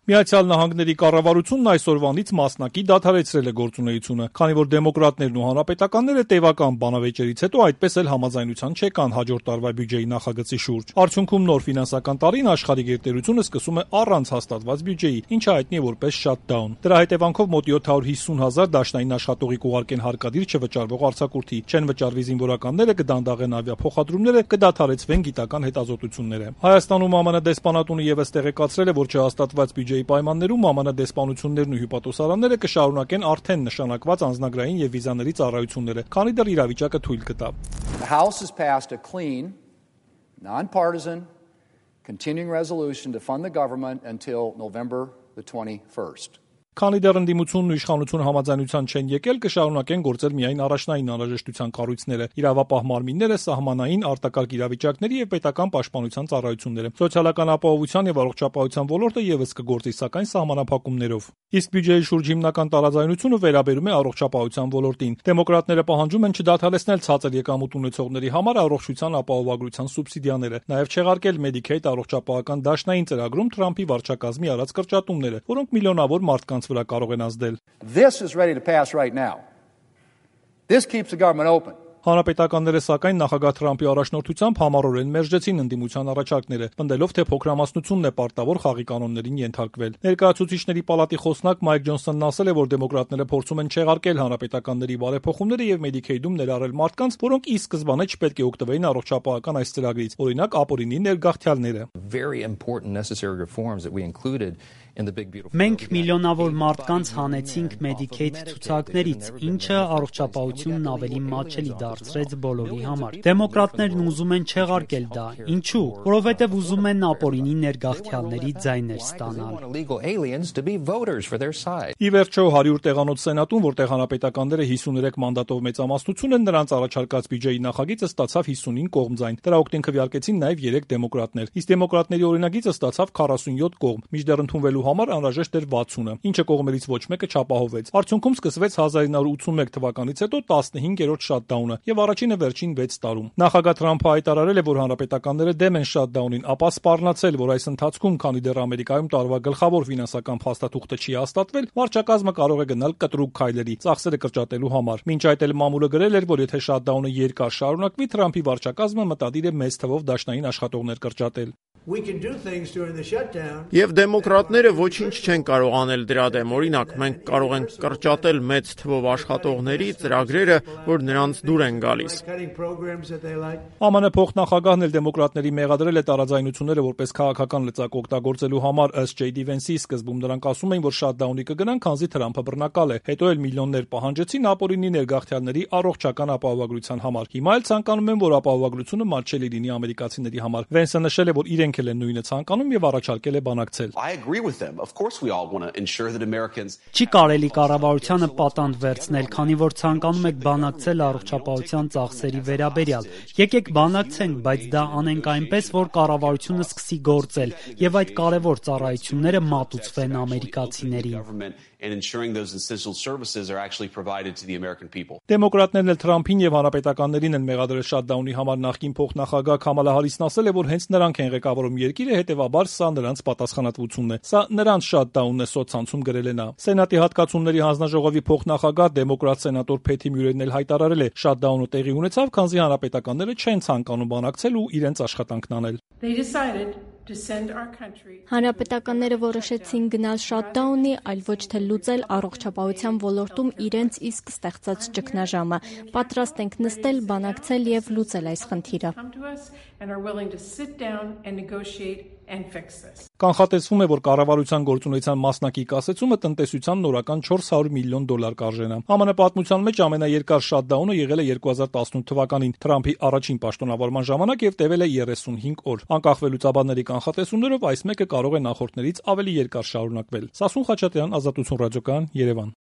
Միացյալ Նահանգների կառավարությունն այսօրվանից մասնակի դադարեցրել է գործունեությունը, քանի որ դեմոկրատներն ու հանրապետականները տևական բանավեճերից հետո այդպես էլ համաձայնության չեկան հաջորդ տարվա բյուջեի նախագծի շուրջ։ Արդյունքում նոր ֆինանսական տարին աշխարհի գերտերությունը սկսում է առանց հաստատված բյուջեի, ինչը հայտնի է որպես shutdown։ Դրա հետևանքով մոտ 750,000 դաշնային աշխատողի կուղարկեն հարկադիր չվճարվող արձակուրդի, չեն վճարվի զինվորականները, կդանդաղեն ավիափոխադրումները, կդադարեցվեն գիտական հետազոտությունները։ Հայաստանում ԱՄՆ դեսպանատունը եւս տեղեկացրել է, որ չհաստատված բյուջեի պայմաններում ԱՄՆ դեսպանություններն ու հյուպատոսարանները կշարունակեն արդեն նշանակված անձնագրային եւ վիզաների ծառայությունները, քանի դեռ իրավիճակը թույլ կտա։ The House has passed a clean, nonpartisan, continuing resolution to fund the government until November the 21st. Քանի դեռ ընդդիմությունն ու իշխանությունը համաձայնության չեն եկել, կշարունակեն գործել միայն առաջնային անհրաժեշտության կառույցները, իրավապահ մարմինները, սահմանային արտակարգ իրավիճակների եւ պետական պաշտպանության ծառայությունները։ Սոցիալական ապահովության եւ առողջապահության ոլորտը եւս կգործի, սակայն սահմանափակումներով։ Իսկ բյուջեի շուրջ հիմնական տարաձայնությունը վերաբերում է առողջապահության ոլորտին։ Դեմոկրատները պահանջում են չդադարեցնել ցածր եկամուտ ունեցողների համար առողջության ապահովագրության սուբսիդիաները, նաեւ չեղարկել Medicaid առողջապահական դաշնային ծրագրում Թրամփի վարչակազմի արած կրճատումները, որոնք միլիոնավոր մարդկանց վրա կարող են ազդել։ This is ready to pass right now. This keeps the government open. Հանրապետականները սակայն նախագահ Թրամփի առաջնորդությամբ համառորեն մերժեցին ընդդիմության առաջարկները, պնդելով, թե փոքրամասնությունն է պարտավոր խաղի կանոններին ենթարկվել։ Ներկայացուցիչների պալատի խոսնակ Մայք Ջոնսոնն ասել է, որ դեմոկրատները փորձում են չեղարկել հանրապետականների բարեփոխումները եւ Medicaid-ում ներառել մարդկանց, որոնք ի սկզբանե չպետք է օգտվեին առողջապահական այս ծրագրից, օրինակ ապօրինի ներգաղթյալները։ Մենք միլիոնավոր մարդկանց հանեցինք Medicaid ցուցակներից, ինչը առողջապահությունն ավելի մատչելի դարձրեց բոլորի համար։ Դեմոկրատներն ուզում են չեղարկել դա։ Ինչու՞։ Որովհետև ուզում են ապօրինի ներգաղթյալների ձայներ ստանալ։ Ի վերջո 100 տեղանոց սենատում, որտեղ հանրապետականները 53 մանդատով մեծամասնություն են, նրանց առաջարկած բյուջեի նախագիծը ստացավ 55 կողմձայն։ Դրա օգտին քվեարկեցին նաև 3 դեմոկրատներ։ Իսկ դեմոկրատների օրինագիծը ստացավ 47 կողմ, մինչդեռ ընդունվելու համար անհրաժեշտ էր 60-ը, ինչը կողմերից ոչ մեկը չապահովեց։ Արդյունքում սկսվեց 1981 թվականից հետո 15-րդ շատդաունը եւ առաջինը վերջին 6 տարում։ Նախագահ Թրամփը հայտարարել է, որ հանրապետականները դեմ են շատդաունին, ապա սպառնացել, որ այս ընթացքում, քանի դեռ Ամերիկայում տարվա գլխավոր ֆինանսական փաստաթուղթը չի հաստատվել, վարչակազմը կարող է գնալ կտրուկ քայլերի ծախսերը կրճատելու համար։ Մինչ այդ էլ մամուլը գրել էր, որ եթե շատդաունը երկար շարունակվի, Թրամփի վարչակազմը մտադիր է մեծ թվով դաշնային աշխատողներ կրճատել։ Եվ դեմոկրատները ոչինչ չեն կարող անել դրա դեմ։ Օրինակ, մենք կարող ենք կրճատել մեծ թվով աշխատողների ծրագրերը, որ նրանց դուր են գալիս։ ԱՄՆ փոխնախագահն էլ դեմոկրատների մեղադրել է տարաձայնությունները որպես քաղաքական լծակ օգտագործելու համար, ըստ J.D. Vance-ի սկզբում նրանք ասում էին, որ շատդաունի կգնան, քանզի Թրամփը բռնակալ է։ Հետո էլ միլիոններ պահանջեցին ապօրինի ներգաղթյալների առողջական ապահովագրության համար։ Հիմա էլ ցանկանում են, որ ապահովագրությունը մատչելի լինի ամերիկացիների համար։ Vance-ը նշել է, որ իրենք էլ են նույնը ցանկանում եւ առաջարկել է բանակցել։ Չի կարելի կառավարությանը պատանդ վերցնել, քանի որ ցանկանում եք բանակցել առողջապահության ծախսերի վերաբերյալ։ Եկեք բանակցենք, բայց դա անենք այնպես, որ կառավարությունը սկսի գործել եւ այդ կարեւոր ծառայությունները մատուցվեն ամերիկացիներին։ Դեմոկրատներն էլ Թրամփին եւ հանրապետականներին են մեղադրել շատդաունի համար։ Նախկին փոխնախագահ Քամալա Հարիսն ասել է, որ հենց նրանք են ղեկավարում երկիրը, հետեւաբար սա նրանց պատասխանատվությունն է։ Սա նրանց շատդաունն է, սոցցանցում գրել է նա։ Սենատի հատկացումների հանձնաժողովի փոխնախագահ դեմոկրատ սենատոր Փեթի Մյուրերն էլ հայտարարել է, շատդաունը տեղի ունեցավ, քանզի հանրապետականները չեն ցանկանում բանակցել ու իրենց աշխատանքն անել։ Հանրապետականները որոշեցին գնալ շատդաունի, այլ ոչ թե լուծել առողջապահության ոլորտում իրենց իսկ ստեղծած ճգնաժամը։ Պատրաստ ենք նստել, բանակցել եւ լուծել այս խնդիրը։ Կանխատեսվում է, որ կառավարության գործունեության մասնակի կասեցումը տնտեսության նորական $400 միլիոն կարժենա։ ԱՄՆ պատմության մեջ ամենաերկար շատդաունը եղել է 2018 թվականին Թրամփի առաջին պաշտոնավարման ժամանակ եւ տևել է 35 օր։ Անկախվելուց կանխատեսումներով այս մեկը կարող է նախորդներից ավելի երկար շարունակվել։ Սասուն Խաչատրյան, Ազատություն ռադիոկայան, Երևան։